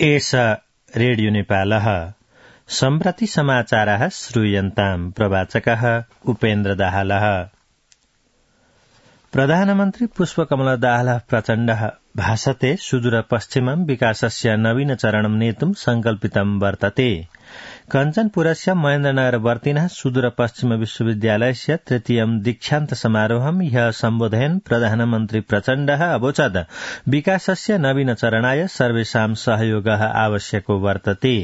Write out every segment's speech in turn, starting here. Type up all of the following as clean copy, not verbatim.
एष रेडियो नेपालः सम्प्रति समाचारः श्रूयन्ताम् प्रवाचकः उपेन्द्र दाहालः। प्रधानमन्त्री पुष्पकमल दाहालः प्रचण्डः भाषते सुदूरपश्चिमं विकासस्य नवीनचरणं नेतुं संकल्पितं वर्तते। कञ्चनपुरस्य महेन्द्रनगरवर्तिनः सुदूरपश्चिम विश्वविद्यालयस्य तृतीयं दीक्षान्त समारोहं ह्यः सम्बोधयन् प्रधानमन्त्री प्रचण्डः अवोचत् विकासस्य नवीनचरणाय सर्वेषां सहयोगः आवश्यको वर्तते।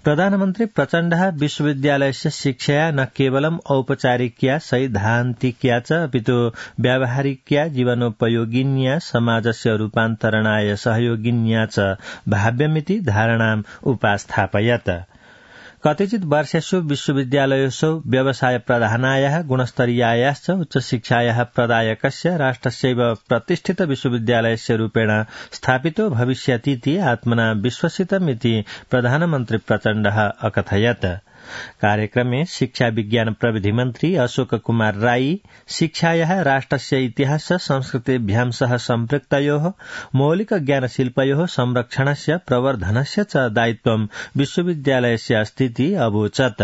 प्रधानमन्त्री प्रचण्डः विश्वविद्यालयस्य शिक्षाया न केवलम् औपचारिकया सैद्धान्तिकया च अपितु व्यावहारिकया जीवनोपयोगिन्या समाजस्य रूपान्तरणाय सहयोगिन्या च भाव्यमिति धारणाम् उपास्थापयत्। कतिचित् वर्षेषु विश्वविद्यालयेषु व्यवसाय प्रधानायाः गुणस्तरीयायाश्च उच्चशिक्षायाः प्रदायकस्य राष्ट्रस्यैव प्रतिष्ठित विश्वविद्यालयस्य रूपेण स्थापितो भविष्यतीति आत्मना विश्वसितमिति प्रधानमन्त्री प्रचण्डः अकथयत्। कार्यक्रमे शिक्षा विज्ञान प्रविधि मन्त्री अशोक कुमार राई शिक्षायाः राष्ट्रस्य इतिहास संस्कृतिभ्यां सह सम्पृक्तयोः मौलिक ज्ञानशिल्पयोः संरक्षणस्य प्रवर्धनस्य च दायित्वं विश्वविद्यालयस्य अस्तीति अवोचत्।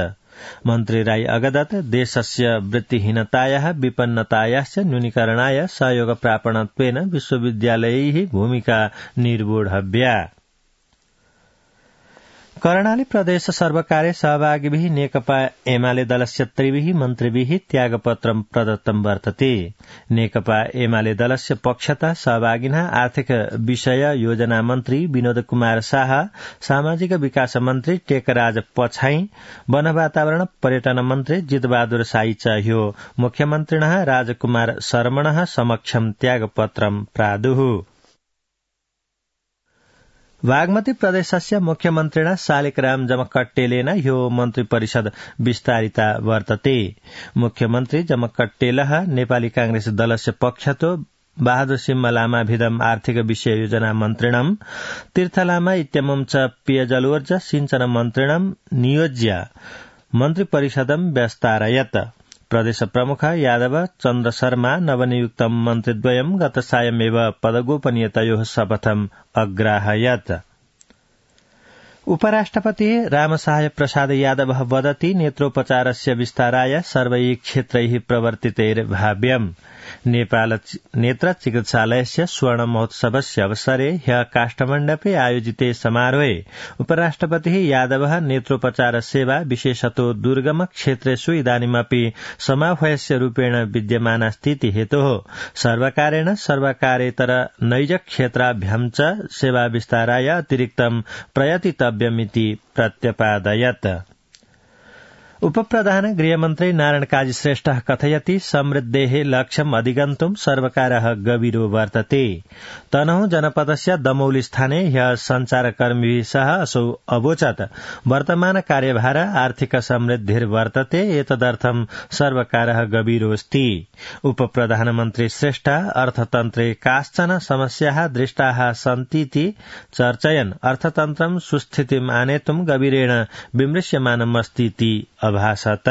मन्त्री राई अगदत् देशस्य वृत्तिहीनतायाः विपन्नतायाश्च न्यूनीकरणाय सहयोगप्रापणत्वेन विश्वविद्यालयैः भूमिका निर्वोढव्या। कर्णाली प्रदेश सर्वकारे सहभागिभिः नेकपा एमाले दलस्य त्रिभिः मन्त्रिभिः त्यागपत्रं प्रदत्तं वर्तते। नेकपा एमाले दलस्य पक्षतः सहभागिनः आर्थिक विषय योजना मन्त्री विनोद कुमार शाह, सामाजिक विकास मन्त्री टेकराज पछाई, वन वातावरण पर्यटन मन्त्री जितबहादुर साई च ह्यो मुख्यमन्त्रिणः राजकुमार शर्मणः समक्षं त्यागपत्रं प्रादुः। बागमती प्रदेशस्य मुख्यमन्त्रिणा शालिग्राम जमकट्टेलेन ह्यो मन्त्रिपरिषद विस्तारिता वर्तते। मुख्यमन्त्री जमकट्टेलः नेपाली कांग्रेस दलस्य पक्षतो बहादुर सिंह लामाभिधम आर्थिक विषय योजना मन्त्रिणं तीर्थलामा इत्यमुं च पेयजलोर्ज सिंचन मन्त्रिणं नियोज्य मन्त्रिपरिषदं व्यस्तारयत्। प्रदेश प्रमुख यादव चन्द्र शर्मा नवनियुक्तं मन्त्रिद्वयं गत सायमेव पदगोपनीयतयोः शपथम् अग्राहयत्। उपराष्ट्रपतिः रामसहाय प्रसाद यादवः वदति नेत्रोपचारस्य विस्ताराय सर्वैः क्षेत्रैः प्रवर्तितैर्भाव्यम्। नेपाल नेत्र चिकित्सालयस्य स्वर्ण महोत्सवस्य अवसरे ह्यः काष्ठमण्डपे आयोजिते समारोहे उपराष्ट्रपतिः यादवः नेत्रोपचार सेवा विशेषतो दुर्गम क्षेत्रेषु इदानीमपि समाह्वयस्य रूपेण विद्यमाना स्थिति हेतोः सर्वकारेण सर्वकारेतर नैज क्षेत्राभ्यां च सेवा विस्ताराय अतिरिक्तं प्रयतितव्यमिति प्रत्यपादयत्। उपप्रधान गृहमन्त्री नारायण काजी श्रेष्ठः कथयति समृद्धेः लक्ष्यम् अधिगन्तुं सर्वकारः गभीरो वर्तते। तनहुँ जनपदस्य दमौली स्थाने ह्यः सञ्चारकर्मीभिः सह असौ अवोचत् वर्तमान कार्यभार आर्थिक समृद्धिर्वर्तते एतदर्थं सर्वकारः गभीरोऽस्ति। उपप्रधानमन्त्री श्रेष्ठ अर्थतन्त्रे काश्चन समस्याः दृष्टाः सन्तीति चर्चयन् अर्थतन्त्रं सुस्थितिम् आनेतुं गभीरेण विमृश्यमानमस्तीति अभासत।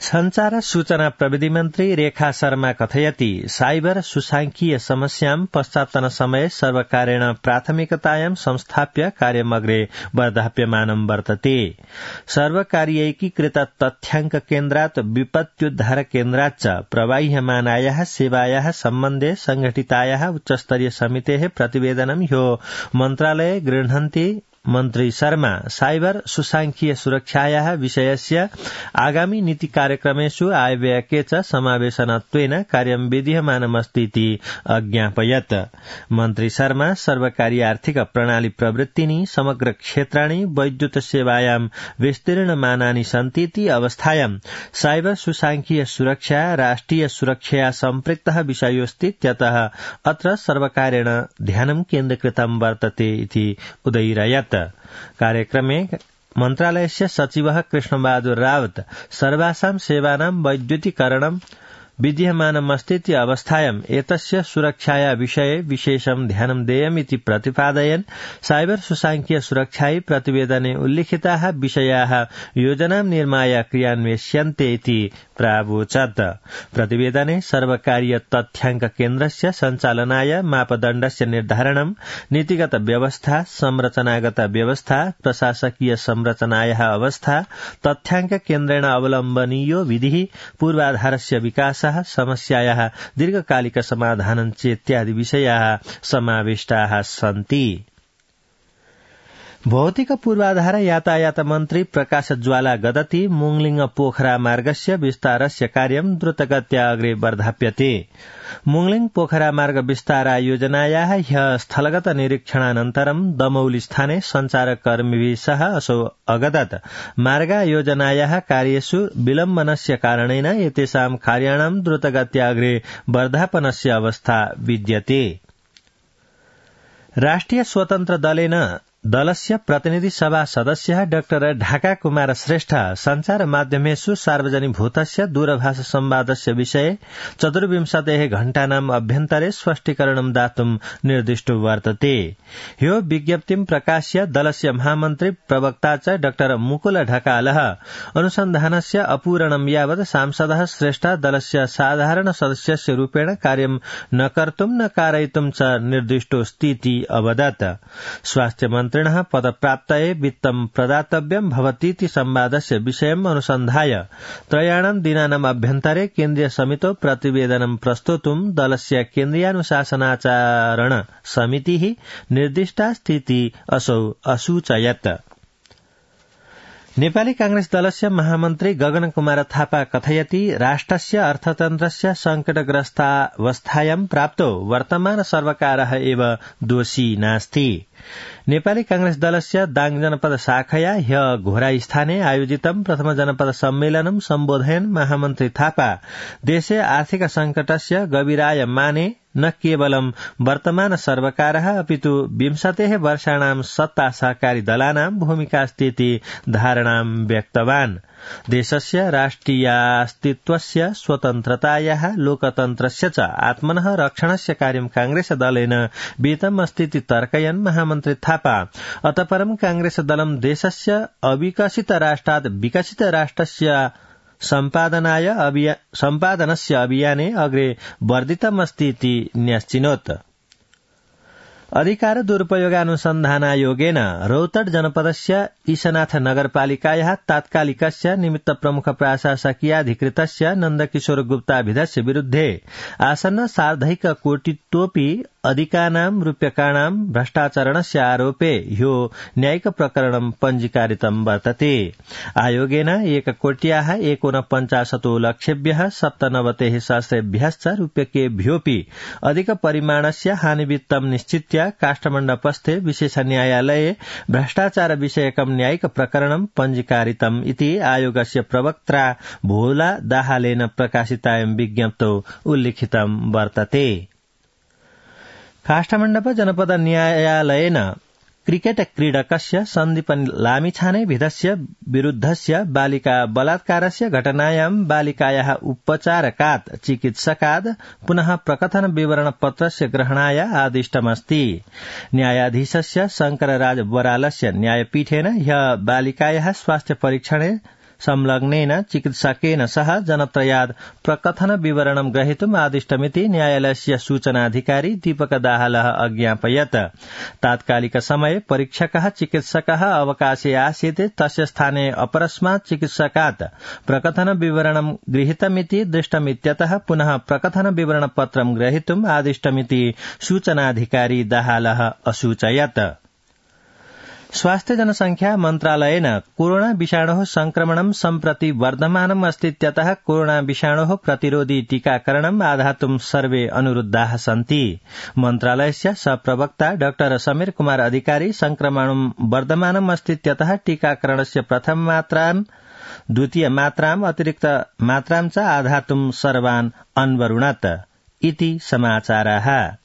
संचार सूचना प्रविधि मन्त्री रेखा शर्मा कथयति साइबर सुसांख्यिकीय समस्यां पश्चात्तन समये सर्वकारेण प्राथमिकतायां संस्थाप्य कार्यमग्रे वर्धाप्यमानं वर्तते। सर्वकारीयैकीकृत तथ्याङ्क केन्द्रात् विपत्त्युद्धार केन्द्रात् च प्रवाह्यमानायाः सेवायाः सम्बन्धे संघटितायाः उच्चस्तरीय समितेः प्रतिवेदनं ह्यो मन्त्रालये गृह्णन्ति मन्त्री शर्मा साइबर सुसांख्यिकीय सुरक्षायाः विषयस्य आगामी नीति कार्यक्रमेषु आयव्ययके च समावेशनत्वेन कार्यं विधीयमानमस्तीति अज्ञापयत्। मन्त्री शर्मा सर्वकारी आर्थिक प्रणाली प्रवृत्तिनि समग्र क्षेत्राणि वैद्युत सेवायां विस्तीर्णमानानि सन्तीति अवस्थायां साइबर सुसांख्यिकीय सुरक्षा राष्ट्रिय सुरक्षया सम्पृक्तः विषयोऽस्तीत्यतः अत्र सर्वकारेण ध्यानं केन्द्रीकृतं वर्तते इति उदयिरयत्। कार्यक्रमे मन्त्रालयस्य सचिवः कृष्णबहादुर रावत सर्वासां सेवानां वैद्युतीकरणं विद्यमानमस्तीति अवस्थायाम् एतस्य सुरक्षाया विषये विशेषं ध्यानं देयमिति प्रतिपादयन् साइबर सुसांख्यिकीय सुरक्षायै प्रतिवेदने उल्लिखिताः विषयाः योजनां निर्माय क्रियान्वेष्यन्ते इति प्रावोचत्। प्रतिवेदने सर्वकारीय तथ्याङ्क केन्द्रस्य सञ्चालनाय मापदण्डस्य निर्धारणं, नीतिगत व्यवस्था, संरचनागत व्यवस्था, प्रशासकीय संरचनायाः अवस्था, तथ्याङ्क केन्द्रेण अवलम्बनीयो विधिः, पूर्वाधारस्य विकासः, समस्यायाः दीर्घकालिक समाधानं चेत्यादि विषयाः समाविष्टाः सन्ति। भौतिक पूर्वाधार यातायात मन्त्री प्रकाश ज्वाला गदति मुङलिङ पोखरा मार्गस्य विस्तारस्य कार्यं द्रुतगत्या अग्रे वर्धाप्यते। मुङलिङ पोखरा मार्ग विस्तार योजनायाः ह्यः स्थलगत निरीक्षणानन्तरं दमौली स्थाने सञ्चारकर्मिभिः सह असौ अगदत् मार्गयोजनायाः कार्येषु विलम्बनस्य कारणेन एतेषां कार्याणां द्रुतगत्या अग्रे वर्धापनस्य अवस्था विद्यते। राष्ट्रिय स्वतन्त्र दलस्य प्रतिनिधि सभा सदस्य डाक्टर ढाका कुमार श्रेष्ठ संचार माध्यमेषु सार्वजनिकभूतस्य दूरभाष संवादस्य विषये 24 घण्टानाम् अभ्यन्तरे स्पष्टीकरणं दातुं निर्दिष्टो वर्तते। ह्यो विज्ञप्तिं प्रकाश्य दलस्य महामन्त्री प्रवक्ता च डाक्टर मुकुल ढकालः अनुसन्धानस्य अपूरणं यावत् सांसदः श्रेष्ठ दलस्य साधारण सदस्यस्य रूपेण कार्यं न कर्तुं न कारयितुं च निर्दिष्टोऽस्तीति अवदत्। स्वास्थ्य मन्त्रिणः पदप्राप्तये वित्तं प्रदातव्यं भवतीति संवादस्य विषयम् अनुसन्धाय 3 दिनानाम् अभ्यन्तरे केन्द्रीय समितौ प्रतिवेदनं प्रस्तोतुं दलस्य केन्द्रीयानुशासनाचरण समितिः निर्दिष्टास्तीति असौ असूचयत्। नेपाली कांग्रेस दलस्य महामन्त्री गगन कुमार थापा कथयति राष्ट्रस्य अर्थतन्त्रस्य संकटग्रस्तावस्थायां प्राप्तो वर्तमान सर्वकारः एव दोषी नास्ति। नेपाली कांग्रेस दलस्य दाङ जनपद शाखया ह्यः घोराई स्थाने आयोजितं प्रथम जनपद सम्मेलनं सम्बोधयन् महामन्त्री थापा देशे आर्थिक संकटस्य गभीराय माने न केवलं वर्तमान सर्वकारः अपितु 20 वर्षाणां सत्ता सहकारी दलानां भूमिकास्तीति धारणां व्यक्तवान्। देशस्य राष्ट्रियास्तित्वस्य स्वतन्त्रतायाः लोकतन्त्रस्य च आत्मनः रक्षणस्य कार्यं कांग्रेस दलेन विहितमस्तीति तर्कयन् महामन्त्री थापा अतः परं कांग्रेस दलं देशस्य अविकसित राष्ट्रात् विकसित राष्ट्रस्य सम्पादनस्य अभियाने अग्रे वर्धितमस्तीति न्यश्चिनोत्। अधिकार दुरुपयोगानुसन्धानायोगेन रौतड जनपदस्य ईशनाथ नगरपालिकायाः तात्कालिकस्य निमित्त प्रमुख प्रशासकीयाधिकृतस्य नन्दकिशोर गुप्ताभिधस्य विरुद्धे आसन्न सार्धैक कोटितोऽपि अधिकानां रूप्यकाणां भ्रष्टाचरणस्य आरोपे ह्यो न्यायिक प्रकरणं पञ्जीकारितं वर्तते। आयोगेन 1,49,50,00,000 97,000 रूप्यकेभ्योऽपि अधिक परिमाणस्य हानिवित्तं निश्चित्य काष्ठमण्डपस्थे विशेष न्यायालये भ्रष्टाचार विषयकं न्यायिक प्रकरणं पञ्जीकारितम् इति आयोगस्य प्रवक्त्रा भोला दाहालेन प्रकाशितायां विज्ञप्तौ उल्लिखितं वर्तते। काष्ठमण्डप जनपद न्यायालयेन क्रिकेट क्रीडकस्य सन्दीप लामिछाने विधस्य विरुद्धस्य बालिका बलात्कारस्य घटनायां बालिकायाः उपचारकात् चिकित्सकात् पुनः प्रकथन विवरण पत्रस्य ग्रहणाय आदिष्टमस्ति। न्यायाधीशस्य शंकरराज बरालस्य न्यायपीठेन ह्यः बालिकायाः स्वास्थ्य परीक्षणे संलग्नेन चिकित्सकेन सह जनत्रयात् प्रकथन विवरणं ग्रहीतुम् आदिष्टमिति न्यायालयस्य सूचनाधिकारी दीपक दाहालः अज्ञापयत्। तात्कालिक समये परीक्षकः चिकित्सकः अवकाशे आसीत्, तस्य स्थाने अपरस्मात् चिकित्सकात् प्रकथन विवरणं गृहीतमिति दृष्टमित्यतः पुनः प्रकथन विवरण पत्रं ग्रहीतुम् आदिष्टमिति सूचनाधिकारी दाहालः असूचयत्। स्वास्थ्य जनसंख्या मन्त्रालयेन कोरोना विषाणोः संक्रमणं सम्प्रति वर्धमानम् अस्तीत्यतः कोरोना विषाणोः प्रतिरोधी टीकाकरणम् आधातुं सर्वे अनुरुद्धाः सन्ति। मन्त्रालयस्य सहप्रवक्ता डाक्टर समीर कुमार अधिकारी संक्रमणं वर्धमानम् अस्तीत्यतः टीकाकरणस्य प्रथम मात्रां द्वितीय मात्राम् अतिरिक्त मात्रां च आधातुं सर्वान् अन्वरुणत् इति समाचाराः।